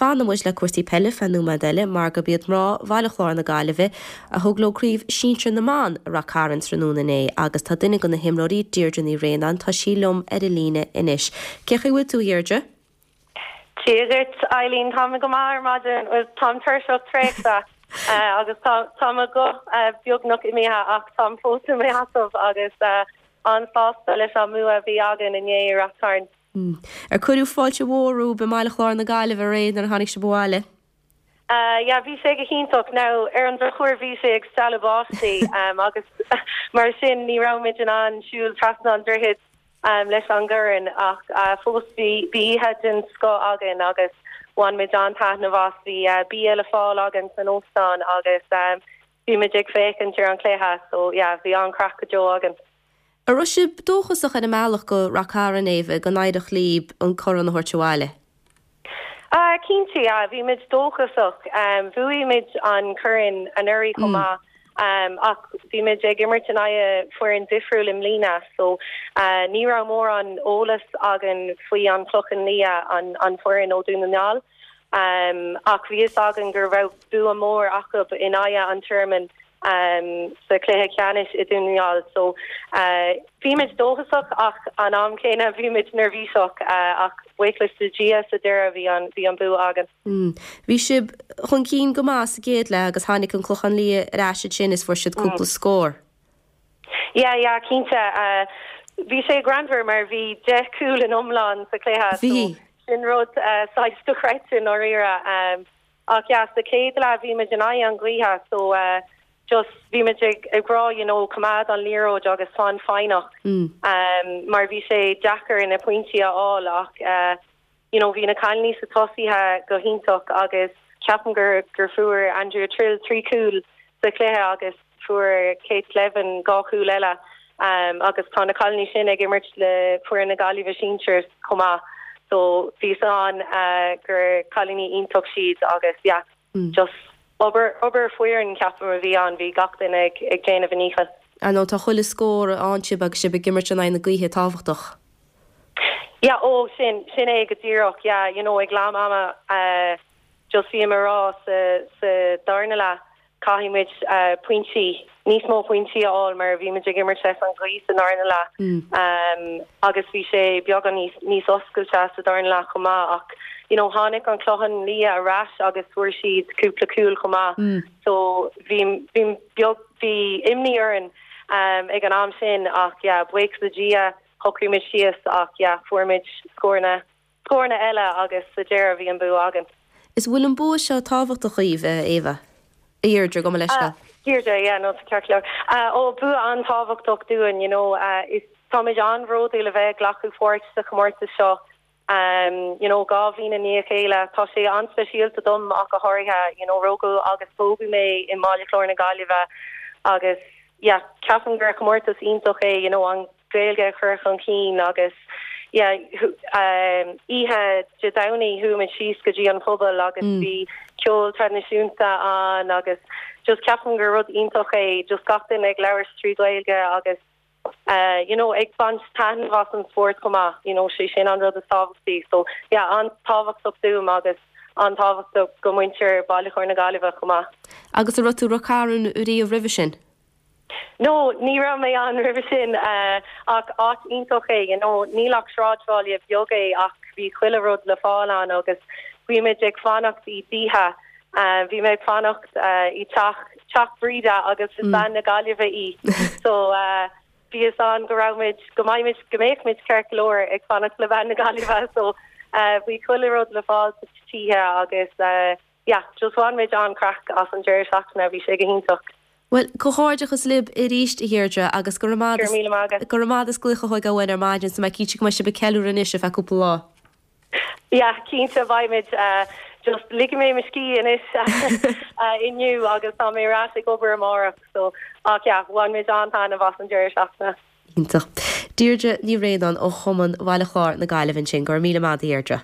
fanfaidh muid le cúrsaí peile feadh nóiméad eile mar gurb iad mná Bhaile Chláir na Gaillimhe a thug leo Craobh Sinsir na mBan i Rath Cairn tráthnóna inné agus tá duine de na himreoirí, Deirdre Ní Bhraonáin, tá sí liom ar an líne anois. Cén chaoi a bhfuil tú, a Dheirdre? Dia duit, Eileen. Tá mé go maith ar maidin. Bhuel, táim tuirseach traochta agus tá tá mo ghuth beagnach imithe ach táim fós i mo sheasamh agus an-sásta leis an mbua a bhí againn inné i Rath Cairn. Ar cuireadh fáilte mhór romhaibh i mBaile Chláir na Gaillimhe aréir nuair a tháinig sibh abhaile? Yeah, bhí sé go hiontach. Now, ar an drochuair bhí sé ag stealladh báistí agus mar sin ní raibh muid in ann siúl trasna an droichid leis an gcorn ach fós bhí bhí oíche den scoth againn agus bhain muid an-taitneamh as. Bhí bia le fáil againn san óstán agus bhí muid ag féachaint ar an chluiche so yeah, bhí an-chraic go deo againn. An raibh sibh dóchasach ar an mbealach go Rath Cairn, Éabha, go n-éireodh libh an corn a thabhairt abhaile? Ah, cinnte, yeah, bhí muid dóchasach. Bhuaigh muid an corn anuraidh chomh maith, ach bhí muid ag imirt in aghaidh foireann difriúil i mbliana, so ní raibh mórán eolas againn faoi an Chlochán Liath, an foireann ó Dún na nGall. Ach bhí fhios againn go raibh bua mór acu in aghaidh an Tearmainn sa chluiche ceannais i Dún na nGall. So bhí muid dóchasach ach an am céanna bhí muid neirbhíseach ach buíochas le Dia sa deireadh bhí an bhí an bua againn. Bhí sibh chun cinn go maith sa gcéad leath agus tháinig an Clochán Liath ar ais ansin is fuair siad cúpla scór. Yeah, yeah, cinnte. Bhí sé greannmhar mar bhí 10 cúl in iomlán sa chluiche so sin rud saghas dochreidte i ndáiríre. Ach yeah, sa chéad leath bhí muid in aghaidh an ghaoithe so just bhí muid ag ag rá you know coimeád an liathróid agus fan foighneach mar bhí sé deacair na pointí a fháil ach you know bhí na cailíní sa tosaithe go hiontach agus ceapaim gur gur fuair Andrea Trill 3 cúl sa chluiche agus Fuair Kate Slevin 2 chúl eile agus tá na cailíní sin ag imirt le foireann na Gaillimhe sinsir chomh maith so bhí fhios againn gur cailíní iontach siad agus yeah just obair obair foireann ceapaim a bhí ann, bhí gach duine ag ag déanamh a ndícheall. Ar ndóigh tá chuile scór a fhaigheann sibh agus sibh ag imirt in aghaidh na gaoithe tábhachtach. Yeah oh sin sin é go díreach yeah you know ag leath ama just bhí mé ag rá sa sa darna leath Caithfidh muid pointí, níos mó pointí a fháil mar bhí muid ag imirt leis an ghaoth sa darna leath agus bhí sé beagán níos níos oscailte sa darna leath chomh maith ach you know tháinig an Clochán Liath ar ais agus fuair siad cúpla cúl chomh maith so bhí bhí beag bhí imní orainn ag an am sin ach yeah buíochas le Dia shocraigh muid síos ach yeah fuair muid scóranna Scóranna eile agus sa deireadh bhí an bua againn. Is bhfuil an bua seo tábhachtach dhaoibh, a Éabha? A Dheirdre, gabh mo leithscéal. Deirdre, yeah, no, tá ceart go leor. Ó, bua an-tábhachtach dúinn, you know, is táimid an-bhródúil a bheith ag glacadh pháirt sa chomórtas seo, you know, 2 bhliain i ndiaidh a chéile. Tá sé an-speisialta dom ach go háirithe, you know, rugadh agus tógadh mé i mBaile Chláir na Gaillimhe agus, yeah, ceapaim gur chomórtas iontach é, you know, an Gaeilge a chur chun cinn agus yeah oíche Dé Domhnaigh chuaigh muid síos go dtí an phuball agus bhí ceol traidisiúnta ann agus just ceapaim gur rud iontach é just gach duine ag labhairt trí Ghaeilge agus you know ag baint taitneamh as an spórt chomh maith you know sé sin an rud is tábhachtaí so yeah an-tábhachtach dúinn agus an-tábhachtach go muintir Baile Chláir na Gaillimhe chomh maith. Agus an raibh tú i Rath Cairn riamh roimhe sin? No, ní raibh mé ann roimhe sin ach áit iontach é, you know, níl ach sráidbhaile beag é ach bhí chuile rud le fáil ann agus bhí muid ag fanacht i dtithe, bhí mé ag fanacht i teach, teach Bhríde agus is bean na Gaillimhe í so bhí fhios againn go raibh muid, go mbeidh muid, go mbeadh muid ceart go leor ag fanacht le bean na Gaillimhe so bhí chuile rud le fáil sa tithe agus yeah, just bhain muid an-craic as an deireadh seachtaine, bhí sé go hiontach. Bhuel, comhghairdeachas libh arís, a Dheirdre, agus go raibh maith Go raibh míle maith agat. go raibh maith agat as glaoch a thógáil uainn ar maidin, tá mé cinnte go mbeidh sibh ag ceiliúradh anois ar feadh cúpla lá. Yeah, cinnte, beidh muid. Just ligfidh mé mo scíth anois inniu agus tá mé ar ais ag obair amárach, so ach yeah, bhain muid an-taitneamh as an deireadh seachtaine. Iontach. Deirdre Ní Bhraonáin ó Chumann Bhaile Chláir na Gaillimhe ansin. Go raibh míle maith agat, a Dheirdre.